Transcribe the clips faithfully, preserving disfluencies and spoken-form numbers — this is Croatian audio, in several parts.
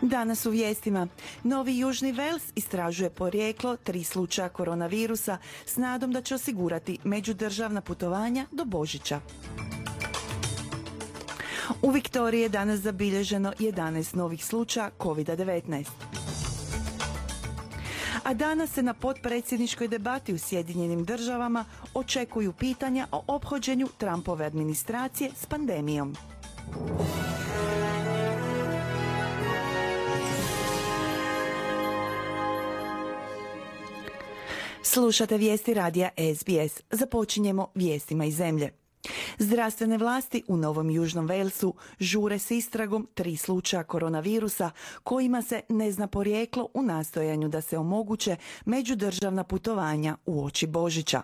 Danas u vijestima. Novi Južni Vels istražuje porijeklo tri slučaja koronavirusa s nadom da će osigurati međudržavna putovanja do Božića. U Viktoriji je danas zabilježeno jedanaest novih slučaja kovid devetnaest. A danas se na potpredsjedničkoj debati u Sjedinjenim državama očekuju pitanja o ophođenju Trumpove administracije s pandemijom. Slušate vijesti radija S B S. Započinjemo vijestima iz zemlje. Zdravstvene vlasti u Novom Južnom Velsu žure s istragom tri slučaja koronavirusa kojima se ne zna porijeklo u nastojanju da se omoguće međudržavna putovanja uoči Božića.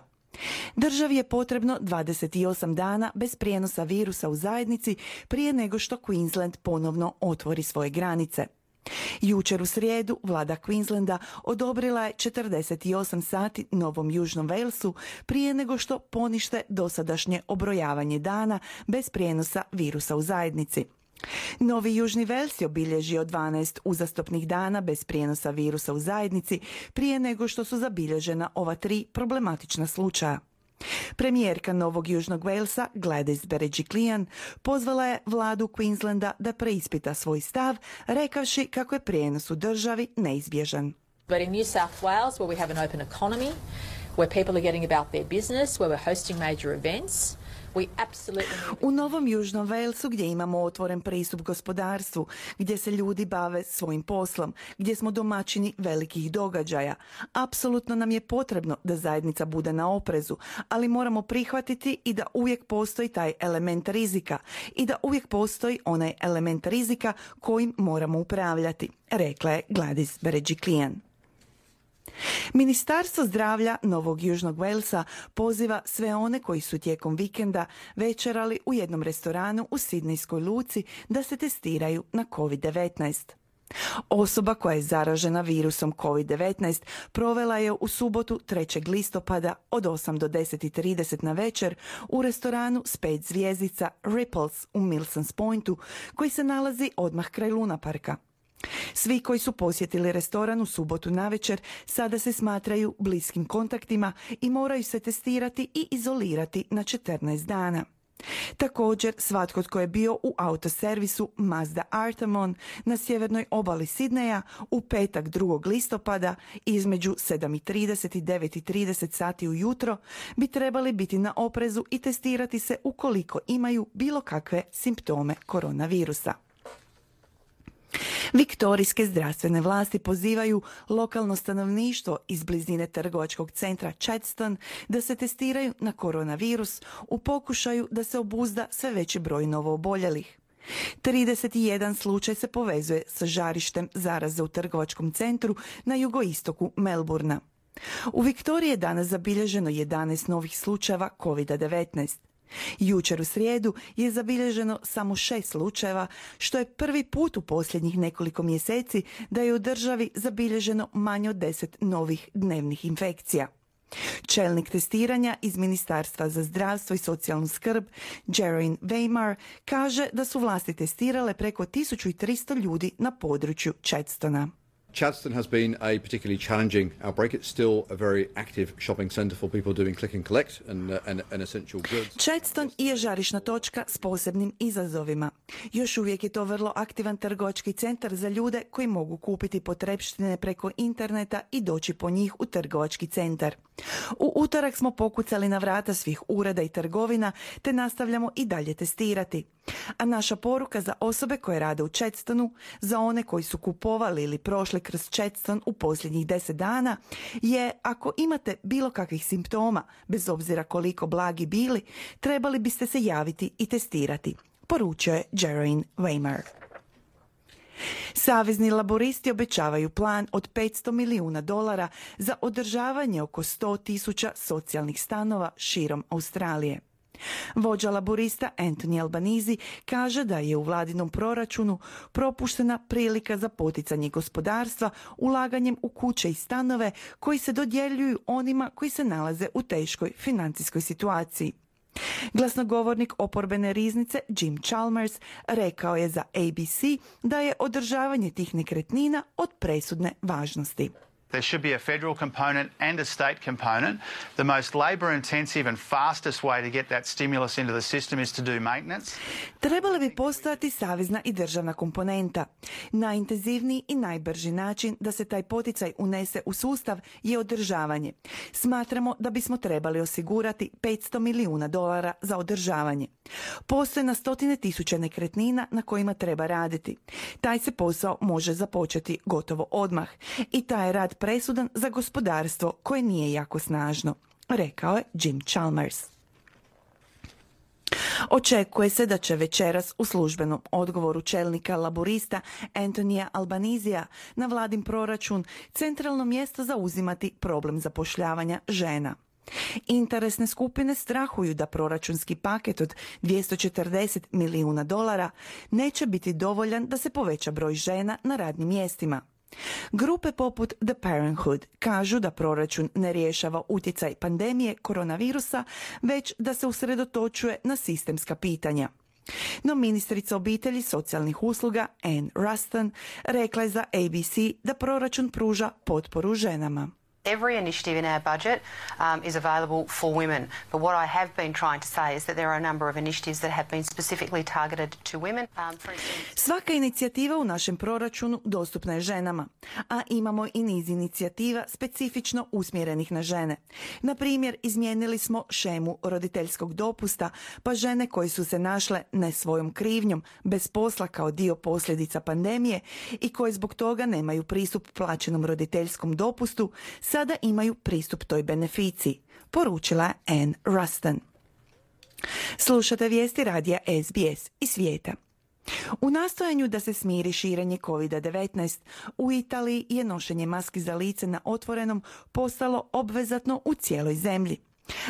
Državi je potrebno dvadeset osam dana bez prijenosa virusa u zajednici prije nego što Queensland ponovno otvori svoje granice. Jučer u srijedu vlada Queenslanda odobrila je četrdeset osam sati Novom Južnom Velsu prije nego što ponište dosadašnje obrojavanje dana bez prijenosa virusa u zajednici. Novi Južni Vels je obilježio dvanaest uzastopnih dana bez prijenosa virusa u zajednici prije nego što su zabilježena ova tri problematična slučaja. Premijerka Novog Južnog Velsa Gladys Berejiklian pozvala je vladu Queenslanda da preispita svoj stav, rekavši kako je prijenos u državi neizbježan. But in New South Wales, where we have an open economy, where people are getting about their business, where we're hosting major events, we absolutely need... U Novom Južnom Velsu gdje imamo otvoren pristup gospodarstvu, gdje se ljudi bave svojim poslom, gdje smo domaćini velikih događaja, apsolutno nam je potrebno da zajednica bude na oprezu, ali moramo prihvatiti i da uvijek postoji taj element rizika i da uvijek postoji onaj element rizika kojim moramo upravljati, rekla je Gladys Berejiklian. Ministarstvo zdravlja Novog Južnog Velsa poziva sve one koji su tijekom vikenda večerali u jednom restoranu u Sidnejskoj luci da se testiraju na kovid devetnaest. Osoba koja je zaražena virusom kovid devetnaest provela je u subotu trećeg listopada od osam do deset i trideset na večer u restoranu s pet zvjezdica Ripples u Milsons Pointu koji se nalazi odmah kraj Luna Parka. Svi koji su posjetili restoran u subotu navečer sada se smatraju bliskim kontaktima i moraju se testirati i izolirati na četrnaest dana. Također, svatko tko je bio u autoservisu Mazda Artemon na sjevernoj obali Sidneja u petak drugog listopada između sedam i trideset i devet i trideset sati ujutro bi trebali biti na oprezu i testirati se ukoliko imaju bilo kakve simptome koronavirusa. Viktorijske zdravstvene vlasti pozivaju lokalno stanovništvo iz blizine trgovačkog centra Chadstone da se testiraju na koronavirus u pokušaju da se obuzda sve veći broj novooboljelih. trideset jedan slučaj se povezuje sa žarištem zaraze u trgovačkom centru na jugoistoku Melbourna. U Viktoriji je danas zabilježeno jedanaest novih slučajeva kovid devetnaest. Jučer u srijedu je zabilježeno samo šest slučajeva, što je prvi put u posljednjih nekoliko mjeseci da je u državi zabilježeno manje od deset novih dnevnih infekcija. Čelnik testiranja iz Ministarstva za zdravstvo i socijalnu skrb, Geraldine Weimar, kaže da su vlasti testirale preko tisuću tristo ljudi na području Chadstona. Chadstone has been a particularly challenging outbreak. It's still a very active shopping centre for people doing click and collect and, uh, and, and essential goods. Chadstone je žarišna točka s posebnim izazovima. Još uvijek je to vrlo aktivan trgovački centar za ljude koji mogu kupiti potrepštine preko interneta i doći po njih u trgovački centar. U utorak smo pokucali na vrata svih ureda i trgovina te nastavljamo i dalje testirati. A naša poruka za osobe koje rade u Chadstonu, za one koji su kupovali ili prošli kroz Chadstone u posljednjih deset dana, je ako imate bilo kakvih simptoma, bez obzira koliko blagi bili, trebali biste se javiti i testirati, poručio je Geraldine Weimar. Savezni laboristi obećavaju plan od petsto milijuna dolara za održavanje oko sto tisuća socijalnih stanova širom Australije. Vođa laborista Anthony Albanese kaže da je u vladinom proračunu propuštena prilika za poticanje gospodarstva ulaganjem u kuće i stanove koji se dodjeljuju onima koji se nalaze u teškoj financijskoj situaciji. Glasnogovornik oporbene riznice Jim Chalmers rekao je za A B C da je održavanje tih nekretnina od presudne važnosti. There should be a federal component and a state component. The most labour-intensive and fastest way to get that stimulus into the system is to do maintenance. Trebala bi postojati savezna i državna komponenta. Najintenzivniji i najbrži način da se taj poticaj unese u sustav je održavanje. Smatramo da bismo trebali osigurati petsto milijuna dolara za održavanje. Postoje na stotine tisuća nekretnina na kojima treba raditi. Taj se posao može započeti gotovo odmah i taj je rad presudan za gospodarstvo koje nije jako snažno, rekao je Jim Chalmers. Očekuje se da će večeras u službenom odgovoru čelnika laborista Antonija Albanizija na vladin proračun centralno mjesto zauzimati problem zapošljavanja žena. Interesne skupine strahuju da proračunski paket od dvjesto četrdeset milijuna dolara neće biti dovoljan da se poveća broj žena na radnim mjestima. Grupe poput The Parenthood kažu da proračun ne rješava utjecaj pandemije koronavirusa, već da se usredotočuje na sistemska pitanja. No ministrica obitelji socijalnih usluga Ann Ruston rekla je za A B C da proračun pruža potporu ženama. Every initiative in our budget um, is available for women. But what I have been trying to say is that there are a number of initiatives that have been specifically targeted to women. Um, for instance... Svaka inicijativa u našem proračunu dostupna je ženama, a imamo i niz inicijativa specifično usmjerenih na žene. Na primjer, izmijenili smo šemu roditeljskog dopusta, pa žene koje su se našle ne svojom krivnjom, bez posla kao dio posljedica pandemije i koje zbog toga nemaju pristup plaćenom roditeljskom dopustu, sada imaju pristup toj beneficiji, poručila je Ann Ruston. Slušate vijesti radija S B S iz svijeta. U nastojanju da se smiri širenje kovid devetnaest, u Italiji je nošenje maski za lice na otvorenom postalo obvezatno u cijeloj zemlji.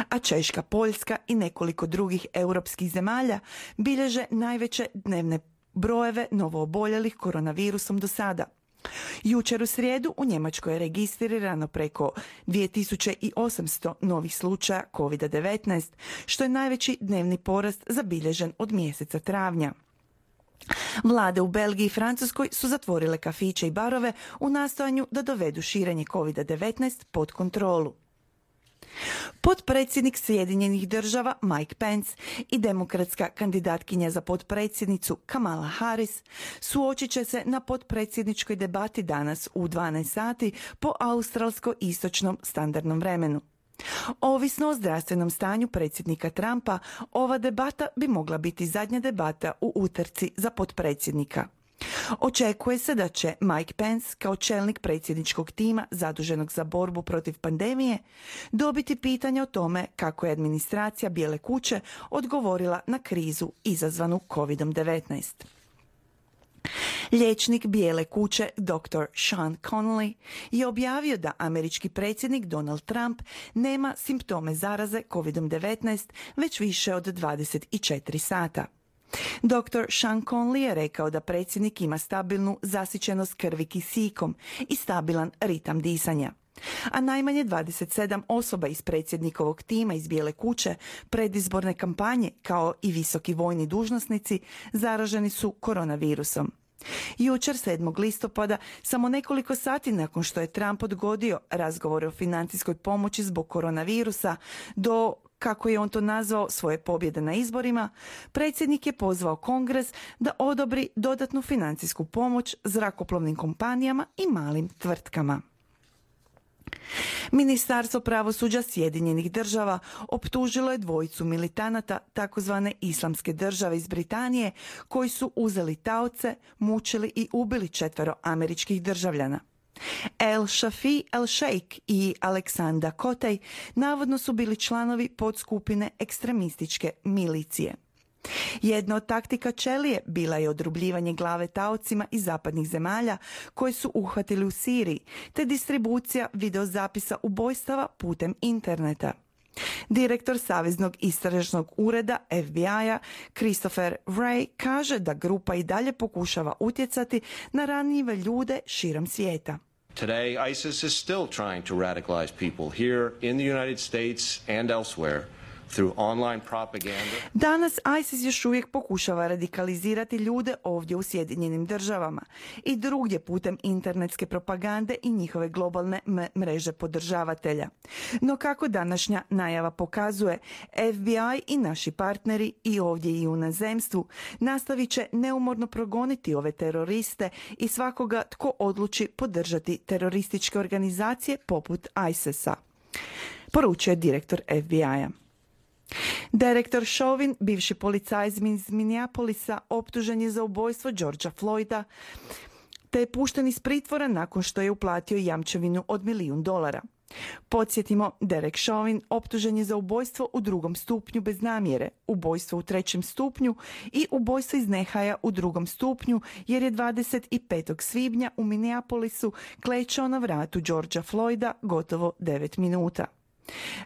A Češka, Poljska i nekoliko drugih europskih zemalja bilježe najveće dnevne brojeve novooboljelih koronavirusom do sada. Jučer u srijedu u Njemačkoj je registrirano preko dvije tisuće osamsto novih slučaja kovid devetnaest, što je najveći dnevni porast zabilježen od mjeseca travnja. Vlade u Belgiji i Francuskoj su zatvorile kafiće i barove u nastojanju da dovedu širenje kovid devetnaest pod kontrolu. Potpredsjednik Sjedinjenih država Mike Pence i demokratska kandidatkinja za potpredsjednicu Kamala Harris suočit će se na potpredsjedničkoj debati danas u dvanaest sati po australsko-istočnom standardnom vremenu. Ovisno o zdravstvenom stanju predsjednika Trumpa, ova debata bi mogla biti zadnja debata u utrci za potpredsjednika. Očekuje se da će Mike Pence kao čelnik predsjedničkog tima zaduženog za borbu protiv pandemije dobiti pitanje o tome kako je administracija Bijele kuće odgovorila na krizu izazvanu kovid devetnaest. Liječnik Bijele kuće doktor Sean Conley je objavio da američki predsjednik Donald Trump nema simptome zaraze kovid devetnaest već više od dvadeset četiri sata. doktor Sean Conley je rekao da predsjednik ima stabilnu zasićenost krvi kisikom i stabilan ritam disanja. A najmanje dvadeset sedam osoba iz predsjednikovog tima iz Bijele kuće predizborne kampanje, kao i visoki vojni dužnosnici, zaraženi su koronavirusom. Jučer sedmog listopada, samo nekoliko sati nakon što je Trump odgodio razgovore o financijskoj pomoći zbog koronavirusa do, kako je on to nazvao, svoje pobjede na izborima, predsjednik je pozvao Kongres da odobri dodatnu financijsku pomoć zrakoplovnim kompanijama i malim tvrtkama. Ministarstvo pravosuđa Sjedinjenih država optužilo je dvojicu militanata takozvane Islamske države iz Britanije koji su uzeli taoce, mučili i ubili četvero američkih državljana. El Shafi El Sheikh i Aleksandar Kotej navodno su bili članovi podskupine ekstremističke milicije. Jedna od taktika Čelije bila je odrubljivanje glave taocima iz zapadnih zemalja koje su uhvatili u Siriji, te distribucija videozapisa ubojstava putem interneta. Direktor Saveznog istražnog ureda F B I-a Christopher Wray kaže da grupa i dalje pokušava utjecati na ranjive ljude širom svijeta. Today, ISIS is still trying to radicalize people here in the United States and elsewhere through online propaganda. Danas ISIS još uvijek pokušava radikalizirati ljude ovdje u Sjedinjenim državama i drugdje putem internetske propagande i njihove globalne m- mreže podržavatelja. No kako današnja najava pokazuje, F B I i naši partneri i ovdje i u inozemstvu nastavit će neumorno progoniti ove teroriste i svakoga tko odluči podržati terorističke organizacije poput ISIS-a, poručuje direktor F B I-a. Direktor Chauvin, bivši policajac iz Minneapolisa, optužen je za ubojstvo Georgea Floyda, te je pušten iz pritvora nakon što je uplatio jamčevinu od milijun dolara. Podsjetimo, Derek Chauvin optužen je za ubojstvo u drugom stupnju bez namjere, ubojstvo u trećem stupnju i ubojstvo iz nehaja u drugom stupnju, jer je dvadeset petog svibnja u Minneapolisu klečao na vratu Georgea Floyda gotovo devet minuta.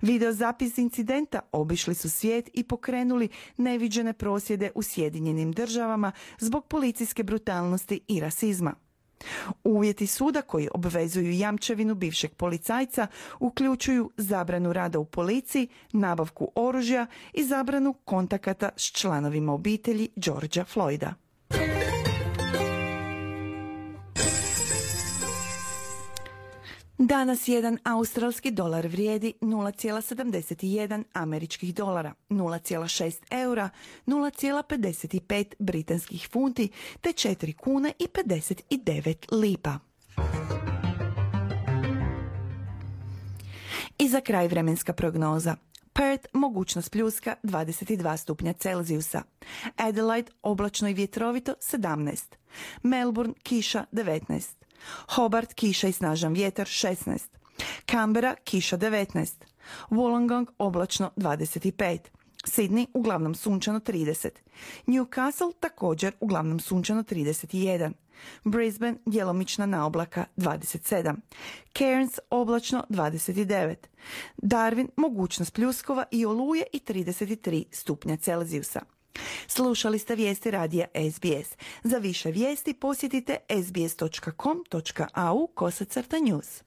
Videozapis incidenta obišli su svijet i pokrenuli neviđene prosvjede u Sjedinjenim državama zbog policijske brutalnosti i rasizma. Uvjeti suda koji obvezuju jamčevinu bivšeg policajca uključuju zabranu rada u policiji, nabavku oružja i zabranu kontakata s članovima obitelji Georgea Floyda. Danas jedan australski dolar vrijedi nula zarez sedamdeset jedan američkih dolara, nula zarez šest eura, nula zarez pedeset pet britanskih funti te četiri kune i pedeset devet lipa. I za kraj vremenska prognoza. Perth mogućnost pljuska dvadeset dva stupnja Celzijusa. Adelaide oblačno i vjetrovito sedamnaest. Melbourne kiša devetnaest. Hobart kiša i snažan vjetar šesnaest. Canberra kiša devetnaest. Wollongong oblačno dvadeset pet. Sydney uglavnom sunčano trideset. Newcastle također uglavnom sunčano trideset jedan. Brisbane djelomična naoblaka dvadeset sedam. Cairns oblačno dvadeset devet. Darwin mogućnost pljuskova i oluje i trideset tri stupnja Celzijusa. Slušali ste vijesti radija S B S. Za više vijesti posjetite s b s dot com dot a u kosacrta news.